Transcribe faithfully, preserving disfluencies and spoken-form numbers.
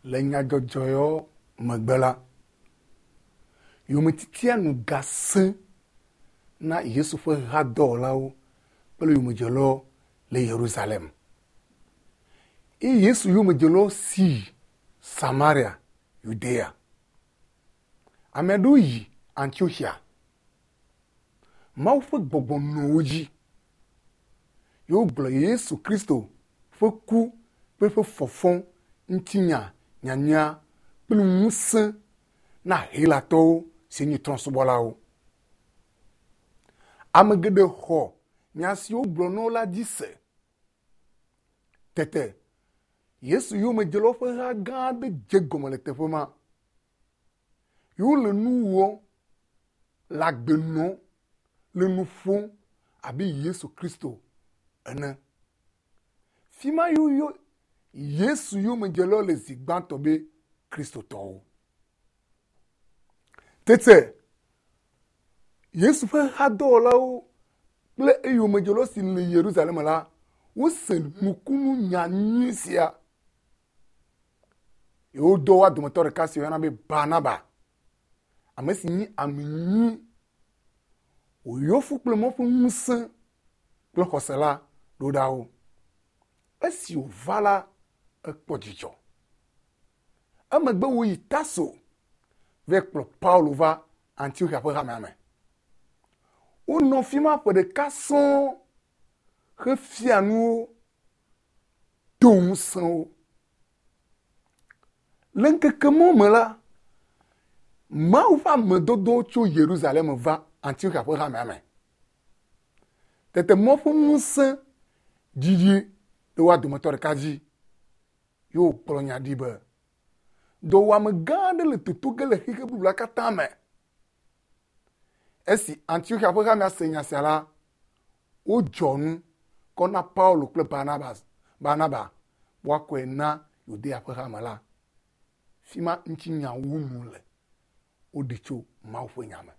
Le nyadzɔdzɔ yawo megbe la, yometitia nu gasẽ na Yesu ƒe hadɔwɔlawo kple yomedzelawo le Yerusalem. Eye Yesu yomedzelawo si yi Samaria, Yudea. Ame aɖewo yi Antioxia. Mawu ƒe gbɔgbɔ nɔ wo dzi ye wogblɔ Yesu Kristo ƒe ku kple eƒe fɔfɔ ŋutinya nyanyuia kple ŋusẽ na Helatɔwo si nye trɔ̃subɔlawo. Ame geɖe xɔ nya si wogblɔ na wo la dzi se. Tete Yesu yomedzelawo ƒe ha gã aɖe dze gɔme le teƒe ma. Ye wole nu wɔm le agbe nɔm le nu ƒom abe Yesu Kristo ene. Fi ma ye woyɔ Yesu yomedzelawo le zi gbãtɔ be Kristotɔwo. Tete Yesu ƒe hadɔwɔlawo kple eyomedzelawo si le Yerusalem la, wose nukunu nya nyui sia. Ye wodɔ woa dometɔ ɖeka si woyɔna be Barnaba, ame si nye ame nyui, wòyɔ fũ kple Mawu ƒe ŋusẽ kple xɔse la ɖo ɖa wo. Esi wòva la, ekpɔ dzidzɔ. Emegbe wòyi Tarso va kplɔ Paulo va Antioxia ƒe hamea me. Wonɔ fi ma ƒe ɖeka sɔŋ hefia nuwo, do ŋusẽ wo. Le ŋkeke mawo me la, Mawu ƒe ame dɔdɔwo tso Yerusalem va Antioxia ƒe hamea me. Tete Mawu ƒe ŋusẽ ɖiɖi ɖe woa dometɔ ɖeka dzi ye wògblɔ nya ɖi be dɔwɔame gã aɖe le toto ge le xexe blibo la katã me. Esi Antioxia ƒe hamea se nya sia la, wodzɔ nu kɔ na Paulo kple Barnabas, Barnaba woakɔe na Yudea ƒe hame la. Fi ma ŋutinya wu nu le. Woɖi tso Mawu ƒe nya me.